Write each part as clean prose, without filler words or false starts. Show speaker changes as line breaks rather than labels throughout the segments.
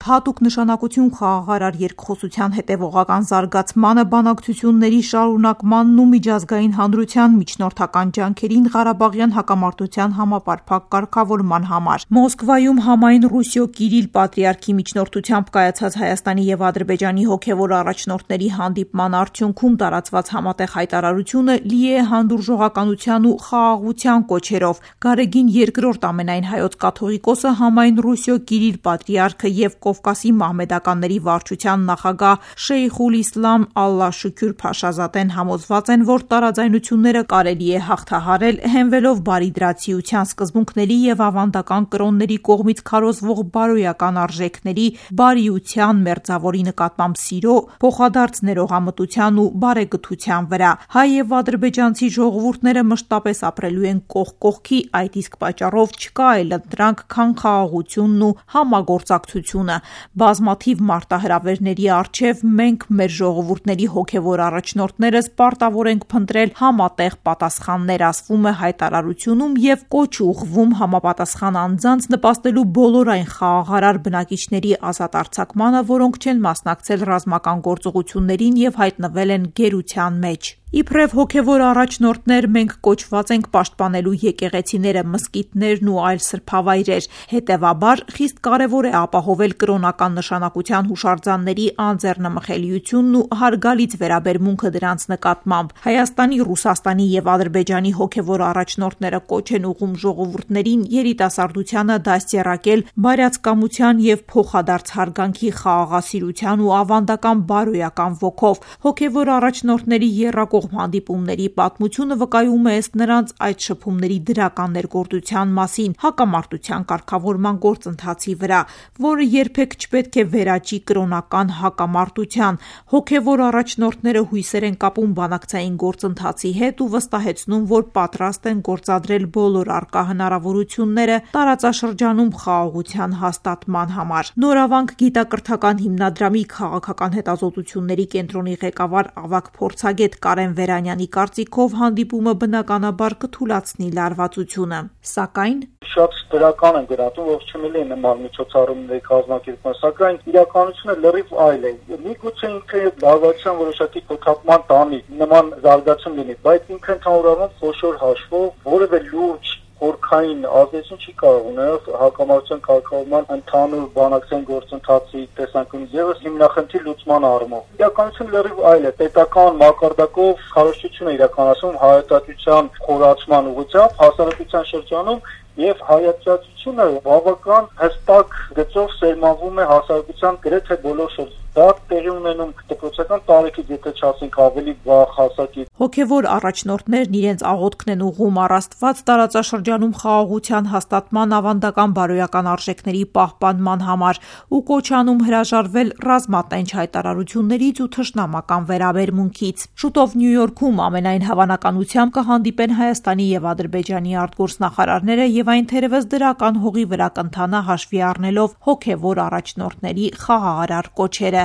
հատուկ նշանակություն խաղաղարար երկխոսության հետևողական զարգացմանը, բանակցությունների շարունակմանն ու միջազգային հանրության միջնորդական ջանքերին Ղարաբաղյան հակամարտության համապարփակ կարգավորման համար։ Մոսկվայում համայն Ռուսիո Կիրիլ պատրիարքի միջնորդությամբ կայացած Հայաստանի և Ադրբեջանի հոգևոր առաջնորդների հանդիպման արդյունքում տարածված համատեղ հայտարարությունը լի է հանդուրժողականության ու խաղաղության կոչերով։ Գարեգին II ամենայն հայոց կաթողիկոսը համայն Ռուսիո Կիրիլ պատրիարքը և Կովկասի մահմեդականների վարչության նախագահ Շեյխուլ Իսլամ Ալլա Շուքյուր Փաշազադեն համոզված են, որ տարաձայնությունները կարելի է հաղթահարել հենվելով բարիդրացիության սկզբունքների և ավանդական կրոնների կողմից քարոզվող բարոյական արժեքների, բարիության, մերձավորի նկատմամբ սիրո, փոխադարձ ներողամտության ու բարեգթության վրա։ Հայ և ադրբեջանցի ժողովուրդները մշտապես ապրելու են կողք կողքի, այդ իսկ պատճառով չկա այլ ընտրանք, քան խաղաղությունն ու համագործակցությունը։ Բազմաթիվ մարտահրավերների առջև մենք մեր ժողովուրդների հոգևոր առաջնորդներս պարտավոր ենք փնտրել համատեղ պատասխաններ, ասվում է հայտարարությունում և կոչ ուղղվում համապատասխան անձանց նպաստելու բոլոր այն խաղաղարար բնակիչների ազատ արձակմանը, որոնք չեն մասնակցել ռազմական գործողություններին և հայտնվել են գերության մեջ։ Իբրև հոգևոր առաջնորդներ մենք կոչված ենք պաշտպանելու եկեղեցիները, մզկիթներն ու այլ սրբավայրեր։ Հետևաբար խիստ կարևոր է ապահովել կրոնական նշանակության հուշարձանների անձեռնմխելիությունն ու հարգալից վերաբերմունքը դրանց նկատմամբ։ Հայաստանի, Ռուսաստանի և Ադրբեջանի հոգևոր առաջնորդները կոչ են ուղղում ժողովուրդներին երիտասարդությանը դաստիարակել բարյացակամության և փոխադարձ հարգանքի, խաղաղասիրության ու ավանդական բարոյական ոգով։ Հոգևոր առաջնորդների եռակողմ հանդիպումների պատմությունը վկայում է ըստ նրանց այդ շփումների դրական ներգործության մասին հակամարտության կարգավորման գործընթացի վրա, որը երբեք չպետք է վերաճի կրոնական հակամարտության։ Հոգևոր առաջնորդները հույսեր են կապում բանակցային գործընթացի հետ ու վստահեցնում, որ պատրաստ են գործադրել բոլոր առկա հնարավորությունները տարածաշրջանում խաղաղության հաստատման համար։ Նորավանք գիտակրթական հիմնադրամի քաղաքական հետազոտությունների կենտրոնի ղեկավար ավագ փորձագետ Կարեն Վերանյանի կարծիքով հանդիպումը բնականաբար կթուլացնի լարվածությունը, սակայն
շատ դրական են գնահատում, որ չմելի նման միջոցառումների կազմակերպման, սակայն իրականությունը լրիվ այլ է։ Միգուցե ինքը լարվածության որոշակի փոփոխման տանի նման զարգացում լինի, բայց ինքը ընդհանրապես խոշոր հաշվով որևէ լուրջ խորքային ազդեցություն չի կարող ունենալ հակամարտության կարգավորման ընդհանուր բանակցային գործընթացի տեսանկյունից ևս հիմնախնդիր լուծման առումով։ Իրականությունը լրիվ այլ է։ Պետական մակարդակով քարոզչություն է իրականացում հայատյացության խորացման ուղղությամբ հասարակության շրջանում եւ հայատյացությունը բավական հստակ գծով սերմանվում է հասարակության գրեթե բոլոր շրջանում։ Դա տեղի ունենում դպրոցական տարիքից, եթե չասենք ավելի վաղ հասակի։
Հոգևոր առաջնորդներն իրենց աղոթքն են ուղղում առ Աստված տարածաշրջանում խաղաղության հաստատման, ավանդական բարոյական արժեքների պահպանման համար ու կոչ անում հրաժարվել ռազմատենչ հայտարարություններից ու թշնամական վերաբերմունքից։ Շուտով Նյու Յորքում ամենայն հավանականությամբ կհանդիպեն Հայաստանի և Ադրբեջանի արտգործնախարարները և այն թերևս դրական հողի վրա կընթանա հաշվի առնելով հոգևոր առաջնորդների խաղաղարար կոչերը։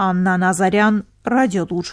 Աննա Նազարյան, Ռադիոլուր։